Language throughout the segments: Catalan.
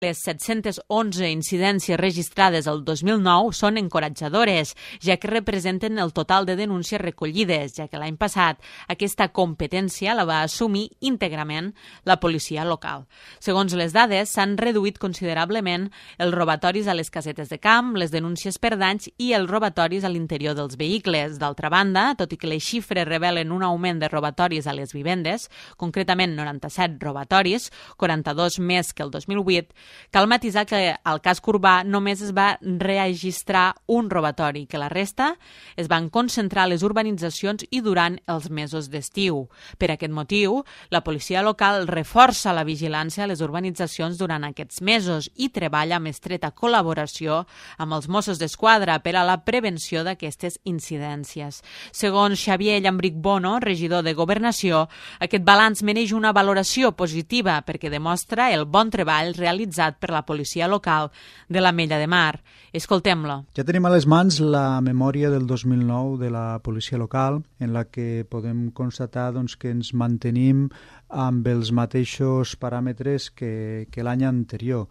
Les 711 incidències registrades el 2009 són encoratjadores, ja que representen el total de denúncies recollides, ja que l'any passat aquesta competència la va assumir íntegrament la policia local. Segons les dades, s'han reduït considerablement els robatoris a les casetes de camp, les denúncies per danys i els robatoris a l'interior dels vehicles. D'altra banda, tot i que les xifres revelen un augment de robatoris a les vivendes, concretament 97 robatoris, 42 més que el 2008, cal matisar que al casc urbà només es va registrar un robatori, que la resta es van concentrar a les urbanitzacions i durant els mesos d'estiu. Per aquest motiu, la policia local reforça la vigilància a les urbanitzacions durant aquests mesos i treballa amb estreta col·laboració amb els Mossos d'Esquadra per a la prevenció d'aquestes incidències. Segons Xavier Llambric Bono, regidor de Governació, aquest balanç mereix una valoració positiva perquè demostra el bon treball realitzat per la policia local de l'Ametlla de Mar. Escoltem-lo. Ja tenim a les mans la memòria del 2009 de la policia local, en la que podem constatar que ens mantenim amb els mateixos paràmetres que l'any anterior.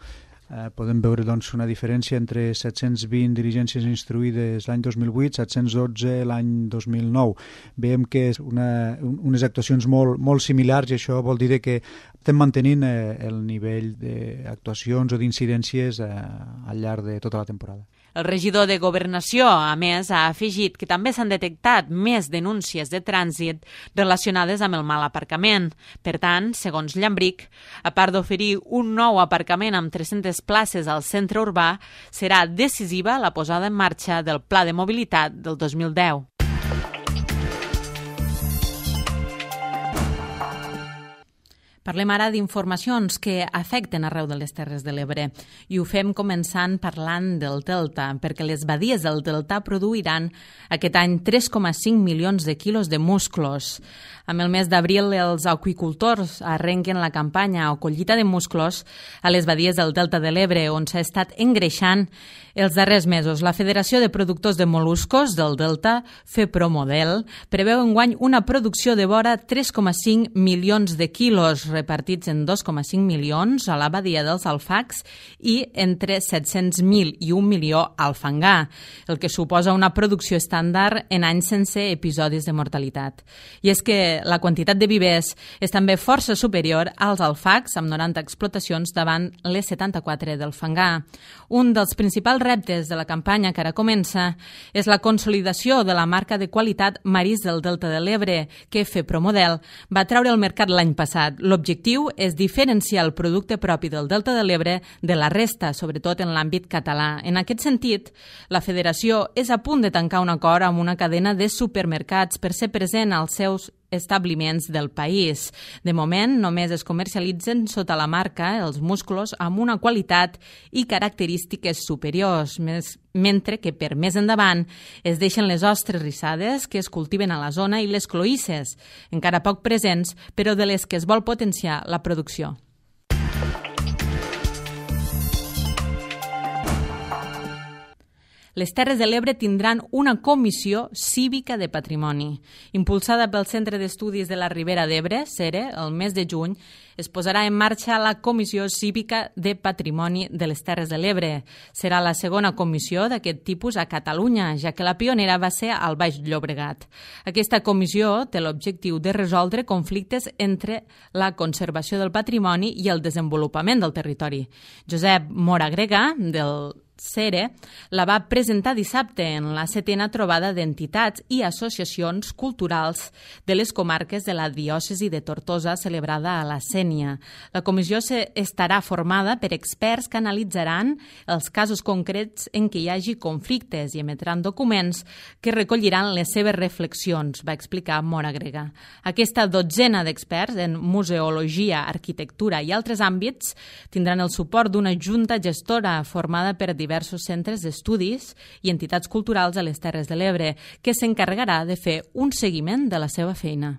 Podem veure una diferència entre 720 diligències instruïdes l'any 2008, 712 l'any 2009. Veiem que és unes actuacions molt similars i això vol dir que estem mantenint el nivell d'actuacions o d'incidències al llarg de tota la temporada. El regidor de Governació, a més, ha afegit que també s'han detectat més denúncies de trànsit relacionades amb el mal aparcament. Per tant, segons Llambric, a part d'oferir un nou aparcament amb 300 places al centre urbà, serà decisiva la posada en marxa del Pla de Mobilitat del 2010. Parlem ara d'informacions que afecten arreu de les Terres de l'Ebre i ho fem començant parlant del Delta, perquè les badies del Delta produiran aquest any 3,5 milions de quilos de musclos. Amb el mes d'abril, els aqüicultors arrenquen la campanya o collita de musclos a les badies del Delta de l'Ebre, on s'ha estat engreixant els darrers mesos. La Federació de Productors de Moluscos del Delta, FEPROMODEL, preveu enguany una producció de vora 3,5 milions de quilos, repartits en 2,5 milions a la badia dels Alfacs i entre 700.000 i 1 milió al Fangar, el que suposa una producció estàndard en anys sense episodis de mortalitat. I és que la quantitat de vivers és també força superior als Alfacs, amb 90 explotacions davant les 74 del Fangar. Un dels principals reptes de la campanya que ara comença és la consolidació de la marca de qualitat Marís del Delta de l'Ebre, que FEPROMODEL va treure al mercat l'any passat. L'objectiu és diferenciar el producte propi del Delta de l'Ebre de la resta, sobretot en l'àmbit català. En aquest sentit, la Federació és a punt de tancar un acord amb una cadena de supermercats per ser present als seus establiments del país. De moment, només es comercialitzen sota la marca els musclos amb una qualitat i característiques superiors, mentre que per més endavant es deixen les ostres rissades que es cultiven a la zona i les cloïsses, encara poc presents, però de les que es vol potenciar la producció. Les Terres de l'Ebre tindran una comissió cívica de patrimoni. Impulsada pel Centre d'Estudis de la Ribera d'Ebre, CERE, el mes de juny, es posarà en marxa la Comissió Cívica de Patrimoni de les Terres de l'Ebre. Serà la segona comissió d'aquest tipus a Catalunya, ja que la pionera va ser al Baix Llobregat. Aquesta comissió té l'objectiu de resoldre conflictes entre la conservació del patrimoni i el desenvolupament del territori. Josep Mora Grega, del CERE, la va presentar dissabte en la 7a trobada d'entitats i associacions culturals de les comarques de la diòcesi de Tortosa celebrada a la Sénia. La comissió estarà formada per experts que analitzaran els casos concrets en què hi hagi conflictes i emetran documents que recolliran les seves reflexions, va explicar Mora Grega. Aquesta dotzena d'experts en museologia, arquitectura i altres àmbits tindran el suport d'una junta gestora formada per diversos centres d'estudis i entitats culturals a les Terres de l'Ebre, que s'encarregarà de fer un seguiment de la seva feina.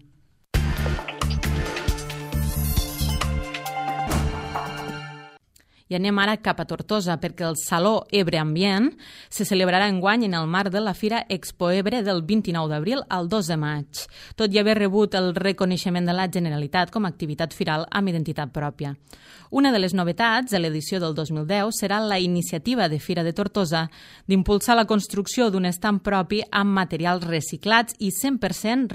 I anem ara cap a Tortosa, perquè el Saló Ebre Ambient se celebrarà enguany en el marc de la Fira Expo Ebre del 29 d'abril al 2 de maig, tot i haver rebut el reconeixement de la Generalitat com a activitat firal amb identitat pròpia. Una de les novetats de l'edició del 2010 serà la iniciativa de Fira de Tortosa d'impulsar la construcció d'un estand propi amb materials reciclats i 100%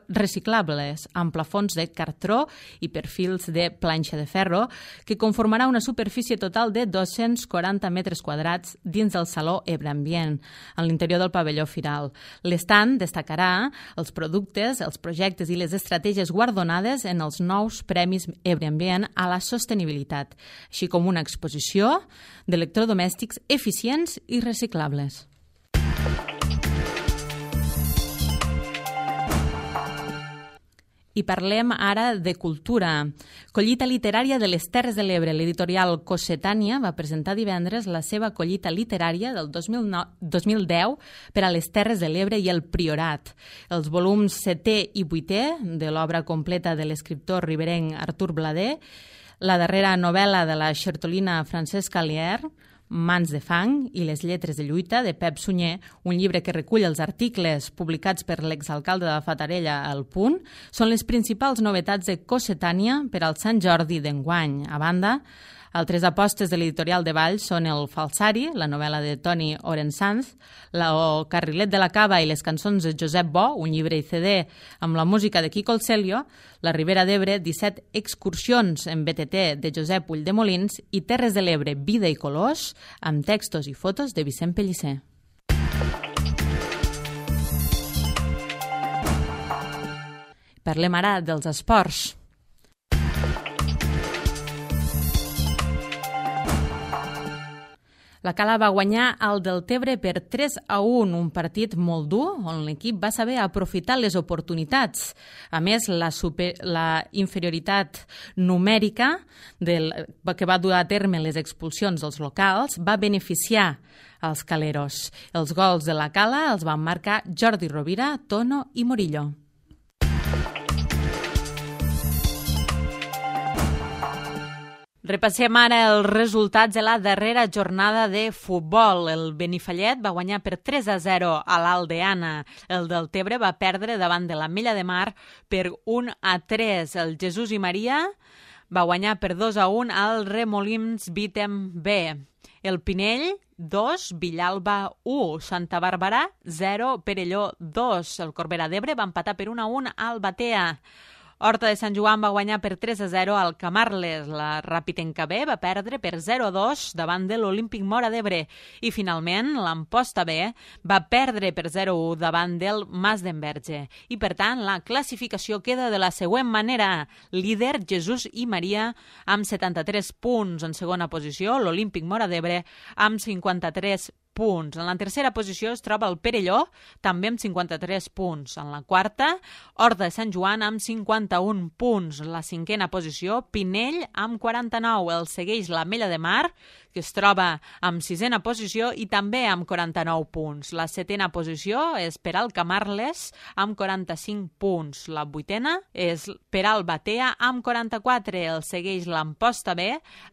reciclables, amb plafons de cartró i perfils de planxa de ferro, que conformarà una superfície total de 240 metres quadrats dins del Saló Ebre Ambient, en l'interior del pavelló firal. L'estand destacarà els productes, els projectes i les estratègies guardonades en els nous Premis Ebre Ambient a la sostenibilitat, així com una exposició d'electrodomèstics eficients i reciclables. I parlem ara de cultura. Collita literària de les Terres de l'Ebre. L'editorial Cossetània va presentar divendres la seva collita literària del 2010 per a les Terres de l'Ebre i el Priorat. Els volums 7è i 8è de l'obra completa de l'escriptor riberenc Artur Blader, la darrera novel·la de la xertolina Francesca Lier, Mans de fang i les lletres de lluita de Pep Sunyer, un llibre que recull els articles publicats per l'exalcalde de Fatarella al Punt, són les principals novetats de Cossetània per al Sant Jordi d'enguany. A banda, altres apostes de l'editorial de Valls són El falsari, la novel·la de Toni Orensanz, el Carrilet de la Cava i les cançons de Josep Bo, un llibre i CD amb la música de Quico el Celio, La Ribera d'Ebre, 17 excursions en BTT de Josep Ulldemolins i Terres de l'Ebre, vida i colors, amb textos i fotos de Vicent Pellicer. Parlem ara dels esports. La Cala va guanyar el Deltebre per 3-1, un partit molt dur, on l'equip va saber aprofitar les oportunitats. A més, la inferioritat numèrica que va dur a terme les expulsions dels locals va beneficiar els caleros. Els gols de la Cala els van marcar Jordi Rovira, Tono i Morillo. Repassem ara els resultats de la darrera jornada de futbol. El Benifallet va guanyar per 3-0 a l'Aldeana. El Deltebre va perdre davant de l'Ametlla de Mar per 1-3. El Jesús i Maria va guanyar per 2-1 al Remolins Vitem B. El Pinell, 2, Villalba 1, Santa Bàrbara 0, Perelló 2. El Corbera d'Ebre va empatar per 1-1 al Batea. Horta de Sant Joan va guanyar per 3-0 al Camarles. La Ràpitenca B va perdre per 0-2 davant de l'Olímpic Móra d'Ebre. I finalment, l'Amposta B va perdre per 0-1 davant del Mas d'Enverge. I per tant, la classificació queda de la següent manera. Líder, Jesús i Maria, amb 73 punts. En segona posició, l'Olímpic Móra d'Ebre, amb 53 punts. En la tercera posició es troba el Perelló, també amb 53 punts. En la quarta, Horta de Sant Joan amb 51 punts. La cinquena posició, Pinell amb 49. El segueix l'Ametlla de Mar, que es troba amb sisena posició i també amb 49 punts. La setena posició és per al Camarles amb 45 punts. La vuitena és per al Batea amb 44. El segueix l'Amposta B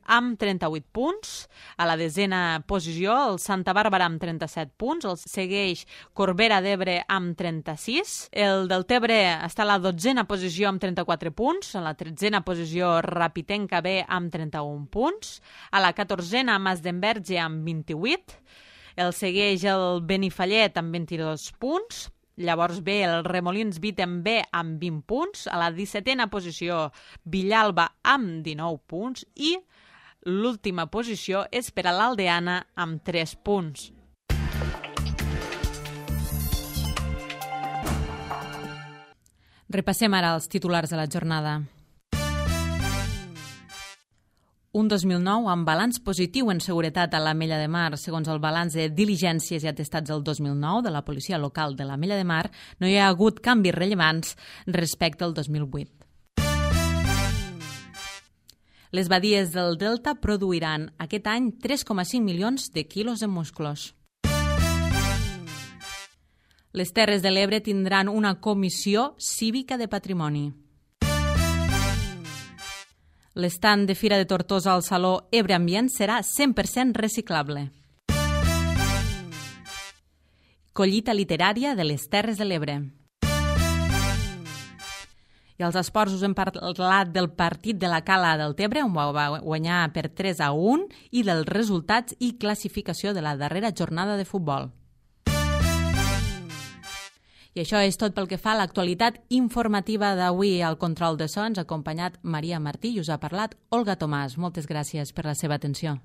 amb 38 punts. A la desena posició, el Santa Bàrbara amb 37 punts. El segueix Corbera d'Ebre amb 36. El Deltebre està a la dotzena posició amb 34 punts. A la tretzena posició, Ràpitenca B amb 31 punts. A la 14a, Mas d'Enverge amb 28. El segueix el Benifallet amb 22 punts. Llavors ve el Remolins Vitem B amb 20 punts. A la 17a posició, Villalba amb 19 punts. I l'última posició és per a l'Aldeana amb 3 punts. Repassem ara els titulars de la jornada. Un 2009 amb balanç positiu en seguretat a l'Ametlla de Mar. Segons el balanç de diligències i atestats del 2009 de la policia local de l'Ametlla de Mar, no hi ha hagut canvis rellevants respecte al 2008. Les badies del Delta produiran aquest any 3,5 milions de quilos de musclos. Les Terres de l'Ebre tindran una comissió cívica de patrimoni. L'estand de Fira de Tortosa al Saló Ebre Ambient serà 100% reciclable. Collita literària de les Terres de l'Ebre. I als esports us hem parlat del partit de la Cala del Tebre, on va guanyar per 3-1, i dels resultats i classificació de la darrera jornada de futbol. I això és tot pel que fa a l'actualitat informativa d'avui. Al control de so ens ha acompanyat Maria Martí i us ha parlat Olga Tomàs. Moltes gràcies per la seva atenció.